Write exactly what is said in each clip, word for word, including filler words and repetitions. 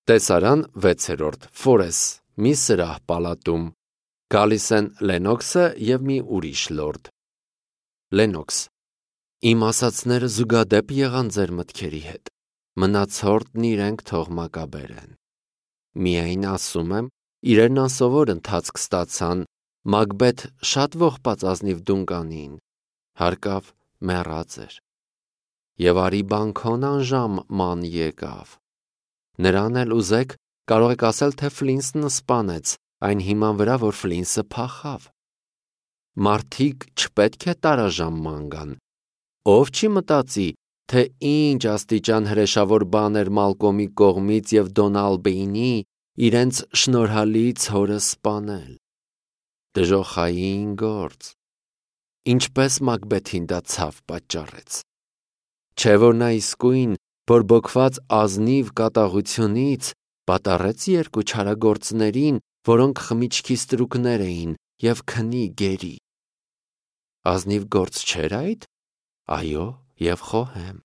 Տեսարան վեցերորդ Ֆորես, մի սրահ պալատում, գալիս են Լենոքսը և մի ուրիշ լորդ։ Լենոքս. Իմ ասածները զուգադեպ եղան ձեր մտքերի հետ, մնացորդն իրենք թող մակաբերեն։ Միայն ասում եմ, իրեն անսովոր ընթացք ստացան, Մակբեթ շատ ողբած ազնիվ Դունկանին, հարկավ մեռած էր։ Եվ արի բանքոն անժամ ման եկավ։ Նրան էլ ուզեք, կարող եք ասել, թե Ֆլինսն սպանեց, այն հիման վրա, որ Ֆլինսը փախավ։ Մարդիկ չպետք է տարաժամ ման գան։ Ով չի մտածի, թե ինչ աստիճան հրեշավոր բան էր Մալկոմի կողմից և Դոնալբեյնի իրենց շնորհալի ցորը սպանել։ Դժոխային գործ։ Ինչպես Մակբեթին դա ցավ պատճառեց։ Չէ՞ որ նա իսկույն, բորբոքված ազնիվ կատաղությունից, պատառեց երկու չարագործներին, որոնք խմիչքի ստրուկներ էին, և քնի գերի։ Ազնիվ գործ չէր այդ։ Այո, և խոհեմ,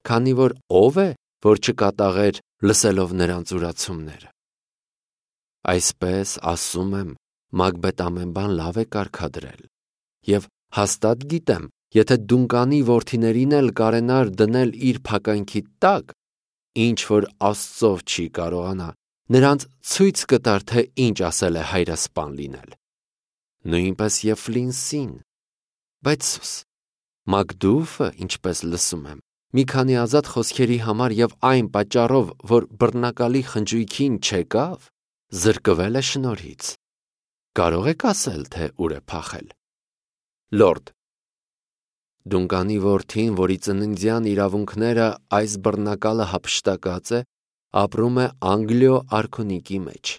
քանի որ ով է, որ չկատաղեր լսելով նրանց ուրացումները։ Այսպես ասում եմ, Մակբեթ ամեն բան լավ է կարգադրել, և հաստատ գիտեմ, եթե Դունկանի որդիներին էլ կարենար դնել իր փականքի տակ, ինչ որ Աստծով չի կարողանա, նրանց ցույց կտար, թե ինչ ասել է հայրասպան լինել։ Նույնպես և Ֆլինսին։ Բայց սուս, Մակդուֆը, ինչպես լսում եմ, մի քանի ազատ խոսքերի համար և այն պատճառով, որ բռնակալի խնջույքին չեկավ, զրկվել է շնորհից։ Կարո՞ղ եք ասել, թե ուր է փախել։ Լորդ. Դունկանի որդին, որի ծննդյան իրավունքները այս բռնակալը հափշտակած է, ապրում է Անգլիո արքունիքի մեջ,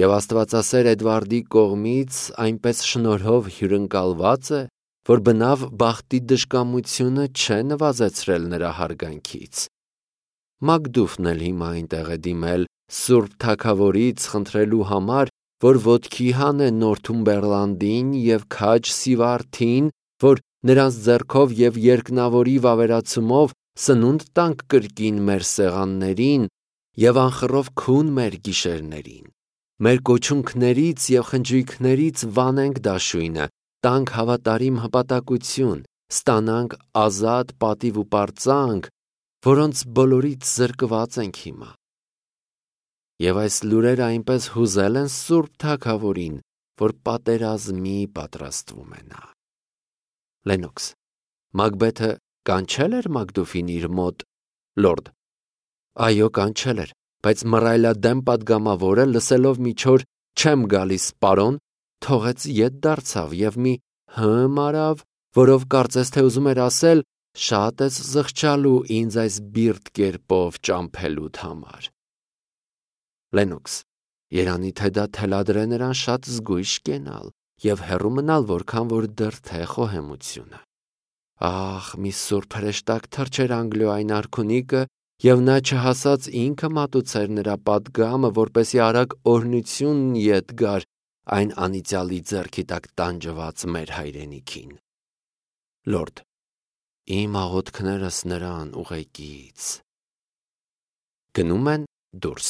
և աստվածասեր Էդվարդի կողմից այնպես շնորհով հյուրընկալված է, որ բնավ բախտի դժկամությունը չէ նվազեցրել նրա հարգանքից։ Մակդուֆն էլ հիմա այնտեղ է դիմել Սուրբ Թագավորից խնդրելու համար, որ ոտքի հանե Նորթումբերլանդին և քաջ Սիվարթին, որ նրանց ձեռքով և երկնավորի վավերացումով սնունդ տանք կրկին մեր սեղաններին և անխռով քուն մեր գիշերներին։ Մեր կոչունքներից և խնջույքներից վանենք դաշույնը, տանք հավատարիմ հպատակություն, ստանանք ազատ պատիվ ու պարծանք, որոնց բոլորից զրկված ենք հիմա։ Եվ այս լուրերը այնպես հուզել են Սուրբ Թագավորին, որ պատերազմի պատրաստվում է նա։ Լենոքս. Մակբեթը կանչել էր Մակդուֆին իր մոտ։ Լորդ. Այո, կանչել էր, բայց մռայլադեմ պատգամավորը, լսելով մի չոր «չեմ գալիս, պարոն», թողեց ետ դարձավ և մի հըմ արավ, որով կարծես թե ուզում էր ասել. շատ ես զղջալու ինձ այս բիրտ կերպով ճամփելուդ համար։ Լենոքս. երանի թե դա թելադրե նրան շատ զգույշ կենալ և հեռու մնալ, որքան որ դրթե խոհեմությունը։ Ահ, մի սուրբ հրեշտակ թռչեր Անգլիոյին արքունիքը, և նա չհասած ինքը մատուցեր նրա պատգամը, որպեսզի արագ օրհնությունն ետ գար այն անիծյալի ձեռքի տակ տանջված մեր հայրենիքին։ Լորդ. Իմ աղոթքներս նրան ուղեկից։ Գնում են դուրս։